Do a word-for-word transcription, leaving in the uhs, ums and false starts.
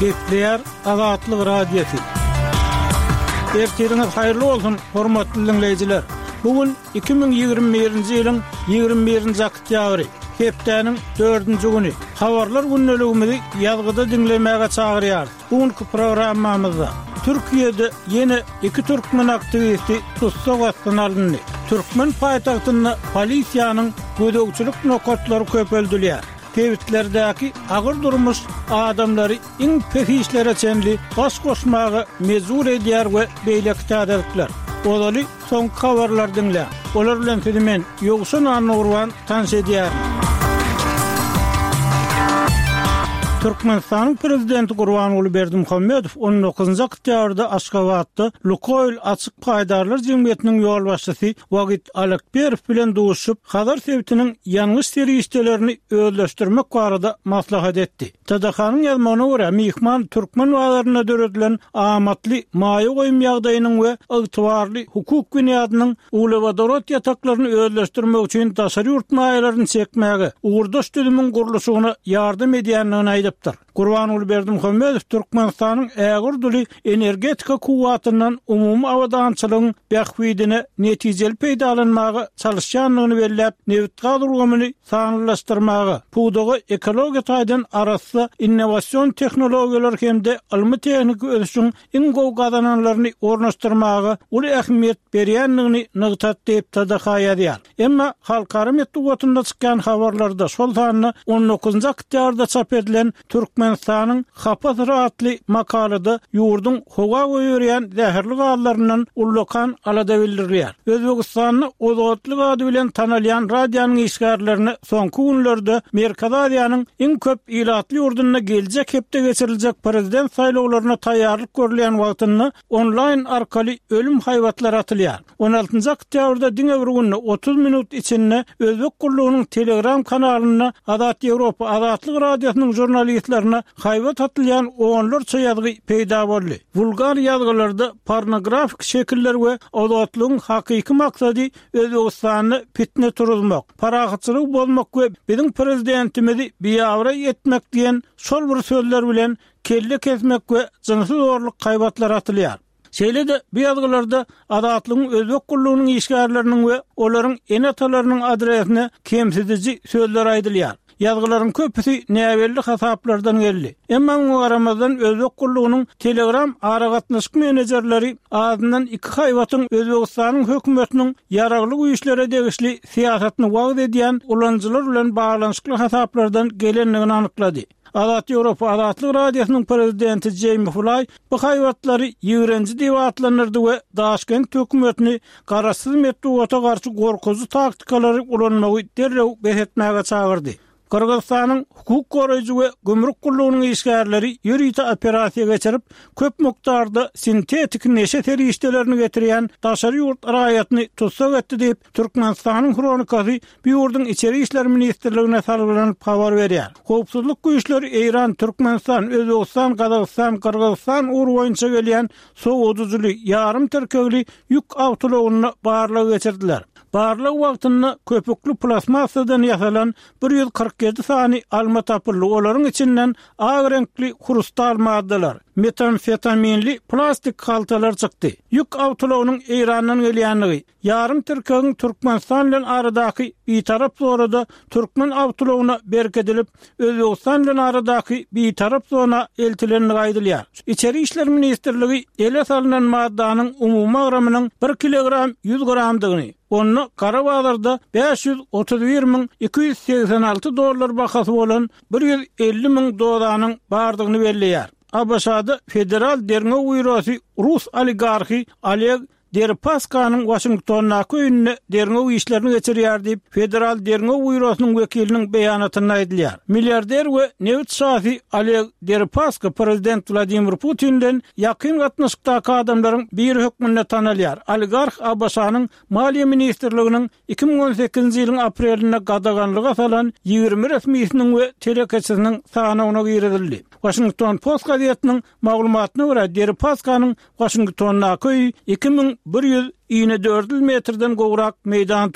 Gepleýär Azatlyk Radiosy. Ertiriňiz haýyrly bolsun, hormatly diňleýjiler! Bu gün iki müň ýigrimi birinji ýylyň ýigrimi birinji oktýabry, hepdäniň dördünji güni. Habarlar gündeligimizi ýazgyda diňlemäge çagyrýarys. Bu günki programmamyzda Türkiýede ýene iki türkmen aktiwisti tussag astyna alyndy. Türkmen paýtagtynda polisiýanyň gözegçilik nokatlary köpeldilýär. Sebitlerdäki agyr durmuş adamlary iň pes işlere çenli baş goşmaga mejbur edýär we beýleki täzelikler. Ozaly soňky habarlary diňläň. Olar bilen sizi men, Ýowşan Annagurban, tanyş edýärin. Türkmenistanyň Prezidenti Gurbanguly Berdimuhamedow on dokuzynjy oktýabrda Aşgabatda Lukoýl açyk paýdarlar jemgyýetiniň ýolbaşçysy Wagit Alekperow bilen duşuşyp, Hazar sebitiniň ýangyç serişdelerini özleşdirmek barada maslahat etdi. T D H-nyň ýazmagyna görä, myhman türkmen bazarynda döredilen amatly maýa goýum ýagdaýynyň we ygtybarly hukuk binýadynyň uglewodorod ýataklaryny özleşdirmek üçin daşary ýurt maýalaryny çekmäge, ugurdaş düzümiň gurluşygyna ýardam edýändigini aýdypdyr. Gurbanguly Berdimuhamedow Türkmenistanyň ägirt uly energetika kuwwatyndan umumy abadançylygyň bähbidine netijeli peýdalanmaga çalyşýandygyny belläp, nebitgaz ulgamyny sanlylaşdyrmaga, pudaga ekologiýa taýdan arassa innowasion tehnologiýalar hem-de ylmy-tehniki ösüşiň iň gowy gazananlaryny ornaşdyrmaga uly ähmiýet berýändigini nygtady diýip, T D H ýazýar. Emma halkara metbugatynda çykýan habarlarda, şol sanda on dokuzynjy oktýabrda çap edilen Türkmenistanyň hapa syry atly makalada ýurduň howa goýberýän zäherli gazlaryndan ullakan alada bildirilýär. Özbegistanda Ozodlik ady bilen tanalýan radionyň işgärlerine soňky günlerde Merkezi Aziýanyň iň köp ilatly ýurdunda geljek hepde geçiriljek prezident saýlawlaryna taýýarlyk görülýän wagtynda onlaýn arkaly ölüm haýbatlary atylýar. On altynjy oktýabrda diňe bir günde otuz minut içinde Özbek gullugynyň Telegram kanalynda Azat Ýewropa Azatlyk Radiosynyň žurnalistlerine haýbat atylýan onlarça ýazgy peýda boldy. Wulgar ýazgylarda pornografik şekiller we Azatlygyň hakyky maksady Özbegistanda fitne turuzmak, parahatçylygy bozmak we biziň prezidentimizi biabraý etmek diýen şol bir sözler bilen kelle kesmek we jynsy zorluk haýbatlary atylýar. Şeýle-de bu ýazgylarda Azatlygyň Özbek gullugynyň işgärleriniň we olaryň ene-atalarynyň adresine kemsidiji sözler aýdylýar. Ýazgylaryň köpüsi näbelli hasaplardan geldi. Emma muňa garamazdan Özbek gullugynyň Telegram aragatnaşyk menejerleri azyndan iki haýbatyň Özbegistanyň hökümetiniň ýaragly güýçlere degişli syýasatyny wagyz edýän ulanyjylar bilen baglanyşykly hasaplardan gelendigini anyklady. Azat Ýewropa Azatlyk Radiosynyň prezidenti Jeými Flaý bu haýbatlary ýigrenji diýip atlandyrdy we Daşkent hökümetini garaşsyz metbugata garşy gorkuzy taktikalary ulanmagy derrew bes etmäge çagyrdy. Gyrgyzystanyň hukuk goraýjy we gümrük gullugynyň işgärleri ýörite operasiýa geçirip, köp mukdarda sintetik neşe serişdelerini getirýän daşary ýurt raýatyny tussag etdi diýip, Türkmenistanyň Hronikasy bu ýurduň Içeri işler ministrligine salgylanyp habar berýär. Howpsuzlyk güýçleri Eýran, Türkmenistan, Özbegistan, Gazagystan, Gyrgyzystan ugry boýunça gelýän sowadyjyly, ýarym tirkegli ýük awtoulagynda barlag geçirdiler. Barlag wagtynda köpükli plastmassadan ýasalan bir ýüz kyrk ýedi sany alma tapyldy, olaryň içinden ak reňkli hrustal maddalar, metamfetaminli plastik haltalar çykdy. Ýük awtoulagynyň Eýrandan gelýändigi, ýarym tirkegiň Türkmenistan bilen aradaky bitarap zonada türkmen awtoulagyna berkidilip, Özbegistan bilen aradaky bitarap zona eltilendigi aýdylýar. Içeri işler ministrligi ele salnan maddanyň umumy agramynyň bir kilogram ýüz gramdygyny, onda gara bazarda bäş ýüz otuz bir müň iki ýüz segsen alty dollar bahasy bolan bir ýüz elli müň dozanyň bardygyny belleýär. A B Ş-da Federal derňew býurosy rus oligarhy Oleg Deripaskanyň Waşingtondaky öýünde derňew işlerini geçirýär diýip, Federal derňew býurosynyň wekiliniň beýanatynda aýdylýar. Milliarder we nebit şasy Oleg Deripaska prezident Wladimir Putin bilen ýakyn gatnaşykdaky adamlaryň biri hökmünde tanalýar. Oligarh A B Ş-nyň Maliýe ministrliginiň iki müň on sekizinji ýylyň aprelinde gadaganlyga salan ýigrimi resmisiniň we telekeçisiniň sanawyna girizildi. Washington Post gazetiniň maglumatyna görä, Deripaskanyň Waşingtondaky öýi iki müň bir ýüz inedördül metrden gowrak meýdan tutýar.